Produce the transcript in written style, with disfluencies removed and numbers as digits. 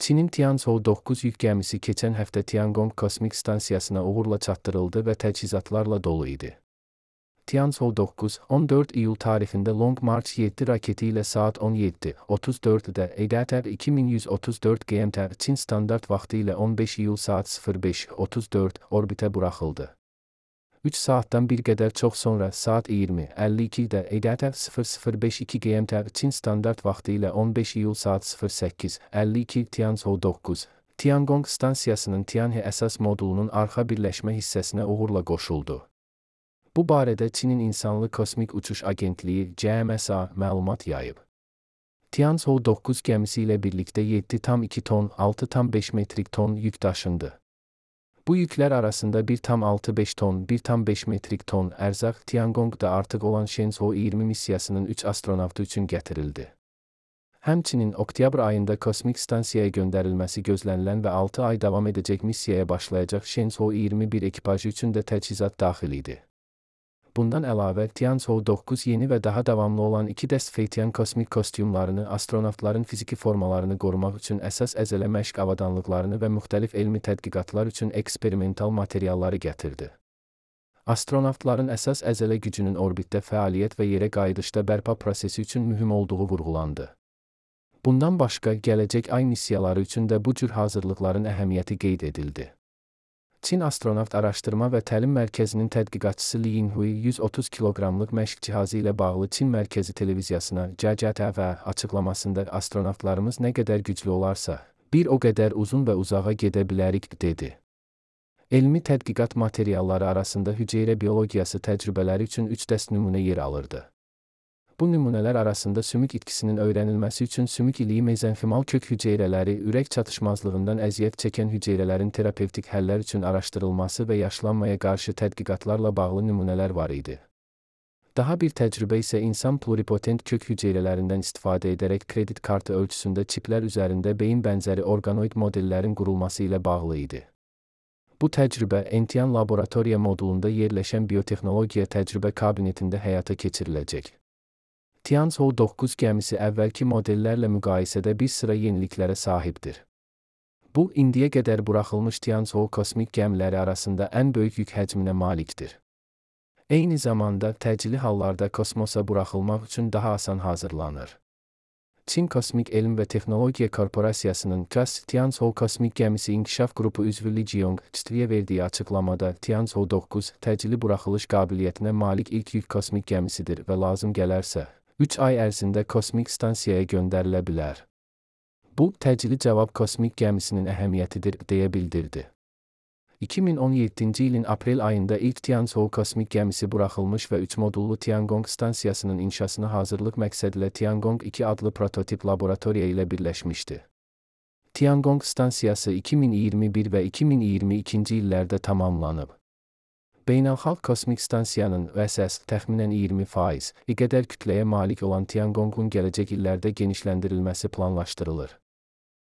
Çinin Tianzhou 9 yük gəmisi keçən həftə Tiangong kosmik stansiyasına uğurla çatdırıldı və təchizatlarla dolu idi. Tianzhou 9, 14 iyul tarixində Long March 7 raketi ilə saat 17:34-də EDR 2134 GMT Çin standart vaxtı ilə 15 iyul saat 05:34 orbitə buraxıldı. 3 saatdan bir qədər çox sonra saat 20:52-də EDR 0052 GMT Çin standart vaxtı ilə 15 iyul saat 08:52 Tianzhou 9, Tiangong stansiyasının Tianhe əsas modulunun arxa birləşmə hissəsinə uğurla qoşuldu. Bu barədə Çinin İnsanlı Kosmik Uçuş Agentliyi (CMSA) məlumat yayıb. Tianzhou 9 gəmisi ilə birlikdə 7,2 ton, 6,5 metrik ton yük daşındı. Bu yüklər arasında 1,65 ton, 1,5 metrik ton ərzaq Tiangongda artıq olan Shenzhou 20 missiyasının 3 astronavtı üçün gətirildi. Həmçinin oktyabr ayında kosmik stansiyaya göndərilməsi gözlənilən və 6 ay davam edəcək missiyaya başlayacaq Shenzhou 21 ekipajı üçün də təchizat daxil idi. Bundan əlavə, Tianzhou 9 yeni və daha davamlı olan 2 dəst Feitian kosmik kostyumlarını, astronavtların fiziki formalarını qorumaq üçün əsas əzələ məşq avadanlıqlarını və müxtəlif elmi tədqiqatlar üçün eksperimental materialları gətirdi. Astronavtların əsas əzələ gücünün orbitdə fəaliyyət və yerə qayıdışda bərpa prosesi üçün mühüm olduğu vurğulandı. Bundan başqa, gələcək ay missiyaları üçün də bu cür hazırlıqların əhəmiyyəti qeyd edildi. Çin Astronavt Araşdırma və Təlim Mərkəzinin tədqiqatçısı Li Yinhui 130 kiloqramlıq məşq cihazı ilə bağlı Çin Mərkəzi televiziyasına (CCTV) açıqlamasında astronavtlarımız nə qədər güclü olarsa, bir o qədər uzun və uzağa gedə bilərik, dedi. Elmi tədqiqat materialları arasında hüceyrə biologiyası təcrübələri üçün 3 dəst nümunə yer alırdı. Bu nümunələr arasında sümük itkisinin öyrənilməsi üçün sümük iliyi mezenfimal kök hüceyrələri, ürək çatışmazlığından əziyyət çəkən hüceyrələrin terapevtik həllər üçün araşdırılması və yaşlanmaya qarşı tədqiqatlarla bağlı nümunələr var idi. Daha bir təcrübə isə insan pluripotent kök hüceyrələrindən istifadə edərək kredit kartı ölçüsündə çiplər üzərində beyin bənzəri orqanoid modellərin qurulması ilə bağlı idi. Bu təcrübə Entian laboratoriya modulunda yerləşən biotexnologiya təcrübə kabinetində həyata keçiriləcək. Tianzhou 9 gəmisi əvvəlki modellərlə müqayisədə bir sıra yeniliklərə sahibdir. Bu, indiyə qədər buraxılmış Tianzhou kosmik gəmiləri arasında ən böyük yük həcminə malikdir. Eyni zamanda, təcili hallarda kosmosa buraxılmaq üçün daha asan hazırlanır. Çin Kosmik Elm və Texnologiya Korporasiyasının CAS Tianzhou kosmik gəmisi inkişaf qrupu üzvü Li Jiong Çitviyə verdiyi açıqlamada Tianzhou 9 təcili buraxılış qabiliyyətinə malik ilk yük kosmik gəmisidir və lazım gələrsə, 3 ay ərzində kosmik stansiyaya göndərilə bilər. Bu, təcili cavab kosmik gəmisinin əhəmiyyətidir, deyə bildirdi. 2017-ci ilin aprel ayında ilk Tianzhou kosmik gəmisi buraxılmış və 3 modullu Tiangong stansiyasının inşasına hazırlıq məqsədilə Tiangong 2 adlı prototip laboratoriya ilə birləşmişdi. Tiangong stansiyası 2021 və 2022-ci illərdə tamamlanıb. Beynəlxalq kosmik stansiyanın VSS təxminən 20% qədər kütləyə malik olan Tiangongun gələcək illərdə genişləndirilməsi planlaşdırılır.